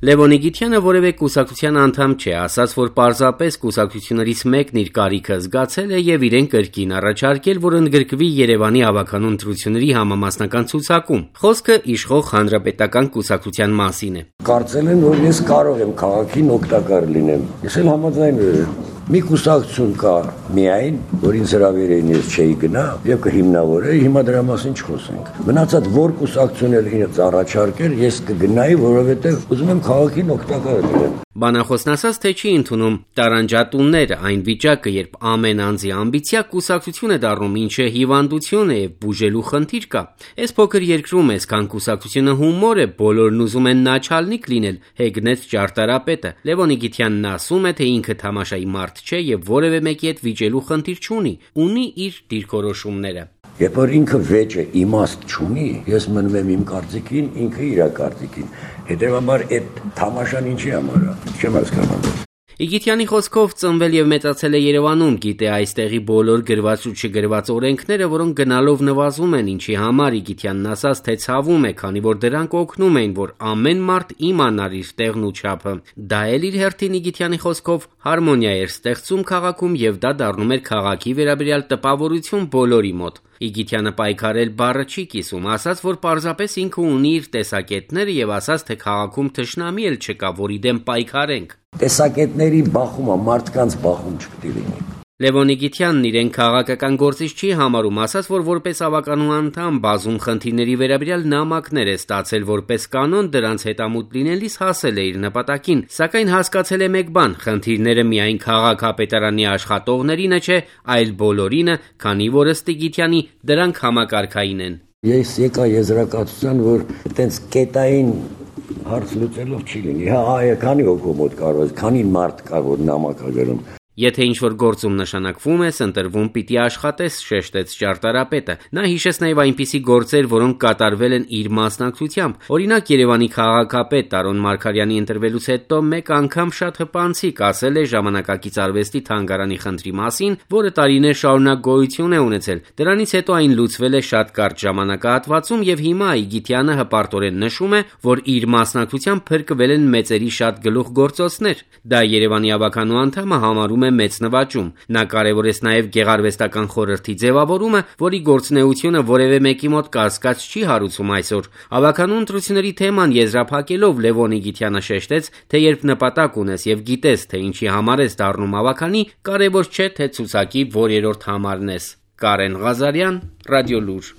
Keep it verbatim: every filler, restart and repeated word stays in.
Լևոն Իգիթյանը որևէ կուսակցության անդամ չէ, ասաց, որ պարզապես կուսակցություններից մեկն իր կարիքը զգացել է եւ իրեն կրկին առաջարկել, որ ընդգրկվի Երևանի ավականու ընտրությունների համամասնական ցուցակում։ Խոսքը իշխող Հանրապետական կուսակցության մասին է։ Կարծել եմ, որ ես կարող եմ քաղաքին օգտակար լինեմ։ Ես էլ համաձայնվել եմ։ Մի կուսակցություն կա միայն, որ ինձ հրավիրեին ես չէի գնա եւ կհիմնավորեի, հիմա դրա մասին չխոսենք։ Մնացած որ կուսակցություն էլ ինձ առաջարկեր, ես կգնայի, որովհետեւ ուզում եմ քաղաքին օգտակար լինեմ։ Բանախոսն ասաց, թե չի ընդունում տարանջատուններ այն վիճակը, երբ ամեն անձի ամբիցիա կուսակցություն է դառնում, ինչը հիվանդություն է եւ բուժելու խնդիր կա։ Այս փոքր երկրում այսքան կուսակցությունը հումոր է, բոլորն ուզում են նաչալնիկ լինել, հեգնեց ճարտարապետը։ Լևոն Իգիթյանն ասում է, թե ինքը թամաշայի մարդ չէ եւ որևէ մեկի հետ վիճելու խնդիր չունի, ունի իր դիրքորոշումները։ Երբ որ ինքը վեճը իմաստ չունի, ես մնում եմ իմ կարծիքին, ինքը իր կարծիքին։ Հետևաբար այդ թամաշան ինչի համար է, չեմ հասկանում։ Իգիթյանի խոսքով ծնվել եւ մեծացել է Երևանում, գիտե այստեղի բոլոր գրված ու չգրված օրենքները, որոնք գնալով նվազում են, ինչի համար Իգիթյանն ասաց, թե ցավում է, քանի որ դրանք օգնում էին, որ ամեն մարդ իմանար իր տեղն ու չափը։ Դա էլ իր հերթին Իգիթյանի խոսքով հարմոնիա էր ստեղծում քաղաքում եւ դա դառնում էր քաղաքի վերաբերյալ տպավորություն բոլորի մոտ։ Իգիթյանը պայքարել բառը չի կիսում, ասաց, որ պարզապես ինքը ունի իր տեսակետները եւ ասաց, թե քաղաքում թշնամի էլ չկա, որի դեմ պայքարենք։ Տեսակետների բախումը մարդկանց բախում չպետք է լինի։ Լևոն Իգիթյանն իրեն քաղաքական գործիչ չի համարում, ասաց, որ որպես ավականու անդամ բազում խնդիրների վերաբերյալ նամակներ է ստացել, որպես կանոն դրանց հետամուտ լինելիս հասել է իր նպատակին, սակայն հասկացել է մեկ բան՝ խնդիրները միայն քաղաքապետարանի աշխատողներինը չէ, այլ բոլորինը, քանի որ ըստ Իգիթյանի դրանք համակարգային են։ Ես եկա եզրակացության, որ այտենց կետային հարց լուծելով չի լինի։ Հա, այ քանի հոգու մոտ կարող է, քանի մարդ կա, որ նամակ է գրում։ Եթե ինչ-որ գործում նշանակվում ես, ընտրվում պիտի աշխատես, շեշտեց ճարտարապետը։ Նա հիշեց նաև այնպիսի գործեր, որոնք կատարվել են իր մասնակցությամբ։ Օրինակ Երևանի քաղաքապետ Տարոն Մարգարյանի ընտրվելուց հետո մեկ անգամ շատ հպանցիկ ասել է ժամանակակից արվեստի թանգարանի խնդրի մասին, որը տարիներ շարունակ գոյություն է ունեցել։ Դրանից հետո այն լուծվել է շատ կարճ ժամանակահատվածում եւ հիմա Իգիթյանը հպարտորեն նշում է, որ իր մասնակցությամբ փրկվել են մեծերի շատ գլուխգործոցներ։ Դա Երևանի ավականու անդամը համարում մեծ նվաճում։ Նա կարևորեց նաև գեղարվեստական խորհրդի ձևավորումը, որի գործունեությունը որևէ մեկի մոտ կասկած չի հարուցում այսօր։ Ավականու ընտրությունների թեման եզրափակելով Լևոն Իգիթյանը շեշտեց, թե երբ նպատակ ունես եւ գիտես, թե ինչի համար ես դառնում ավականի, կարևոր չէ, թե ցուցակի որ երրորդ համարն ես։ Կարեն Ղազարյան, Ռադիոլուր։